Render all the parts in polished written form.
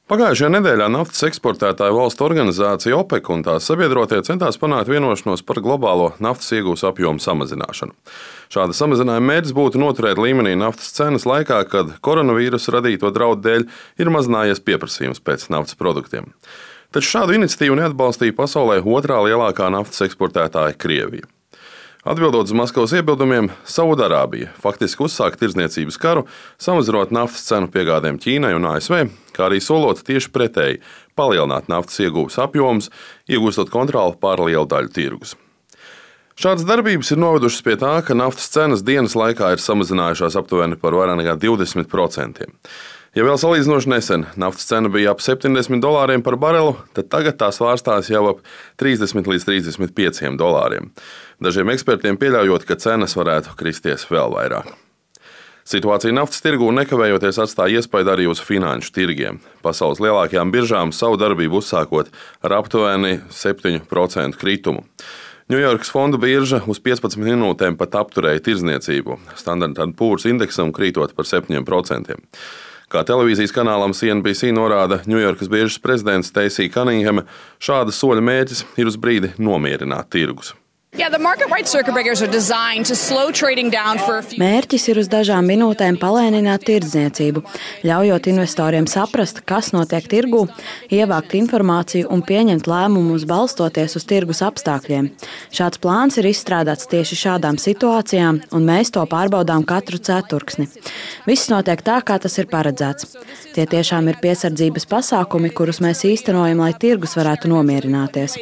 Pagājušajā nedēļā naftas eksportētāju valstu organizācija OPEC un tās sabiedrotie centās panākt vienošanos par globālo naftas iegūs apjomu samazināšanu. Šāda samazinājuma mērķis būtu noturēt līmenī naftas cenas laikā, kad koronavīrusa radīto draudu dēļ ir mazinājies pieprasījums pēc naftas produktiem. Taču šādu iniciatīvu neatbalstīja pasaulē otrā lielākā naftas eksportētāja Krievija. Atbildot uz Maskavas iebildumiem, Saudārābija faktiski uzsāka tirdzniecības karu, samazinot naftas cenu piegādēm Ķīnai un ASV, kā arī solot tieši pretēji palielināt naftas ieguves apjomus, iegūstot kontroli pār lielu daļu tirgus. Šādas darbības ir novedušas pie tā, ka naftas cenas dienas laikā ir samazinājušās aptuveni par vairāk nekā 20%. Ja vēl salīdzinoši nesen naftas cena bija ap $70 par barelu, tad tagad tā svārstās jau ap 30 līdz 35 dolāriem. Dažiem ekspertiem pieļaujot, ka cenas varētu kristies vēl vairāk. Situācija naftas tirgū nekavējoties atstāja iespaidu arī uz finanšu tirgiem. Pasaules lielākajām biržām savu darbību uzsākot ar aptuveni 7% kritumu. Ņujorkas fondu birža uz 15 minūtēm pat apturēja tirdzniecību, Standard & Poor's indeksam krītot par 7%. Kā televīzijas kanālam CNBC norāda Ņujorkas biržas prezidents Stacey Cunningham, šāda soļa mērķis ir uz brīdi nomierināt tirgus. Mērķis ir uz dažām minūtēm palēnināt tirdzniecību, ļaujot investoriem saprast, kas notiek tirgū, ievākt informāciju un pieņemt lēmumus balstoties uz tirgus apstākļiem. Šāds plāns ir izstrādāts tieši šādām situācijām, un mēs to pārbaudām katru ceturksni. Viss notiek tā, kā tas ir paredzēts. Tie tiešām ir piesardzības pasākumi, kurus mēs īstenojam, lai tirgus varētu nomierināties.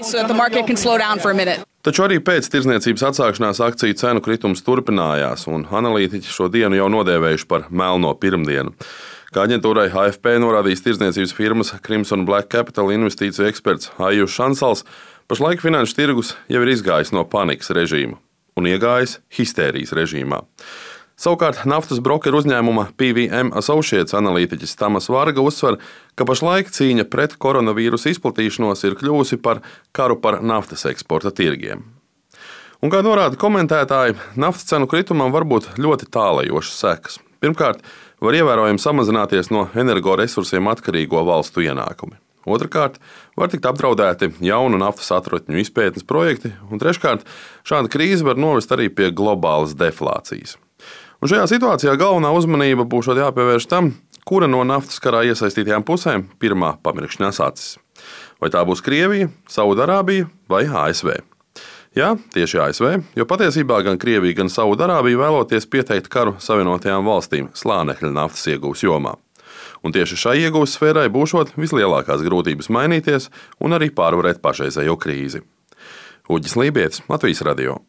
Taču arī pēc tirdzniecības atsākšanās akciju cenu kritums turpinājās, un analītiķi šo dienu jau nodēvējuši par melno pirmdienu. Kā aģentūrai AFP norādījis tirdzniecības firmas Crimson Black Capital investīciju eksperts Aijus Šansals, pašlaik finanšu tirgus jau ir izgājis no panikas režīma un iegājis histērijas režīmā. Savukārt naftas brokeru uzņēmuma PVM Associates analītiķis Tamas Varga uzsver, ka pašlaik cīņa pret koronavīrusa izplatīšanos ir kļuvusi par karu par naftas eksporta tirgiem. Un, kā norāda komentētāji, naftas cenu kritumam var būt ļoti tālajošas sekas. Pirmkārt, var ievērojami samazināties no energoresursiem atkarīgo valstu ienākumi. Otrakārt, var tikt apdraudēti jaunu naftas atrotņu izpētes projekti, un treškārt, šāda krīze var novest arī pie globālas deflācijas. Un šajā situācijā galvenā uzmanība būs jāpievērš tam, kura no naftas karā iesaistītajām pusēm pirmā pamirkšņās acis. Vai tā būs Krievija, Saudārābija vai ASV? Jā, tieši ASV, jo patiesībā gan Krievija, gan Saudārābija vēloties pieteikt karu Savienotajām valstīm slānekļa naftas iegūs jomā. Un tieši šai iegūs sfērai būšot vislielākās grūtības mainīties un arī pārvarēt pašreizējo krīzi. Uģis Lībietis, Latvijas radio.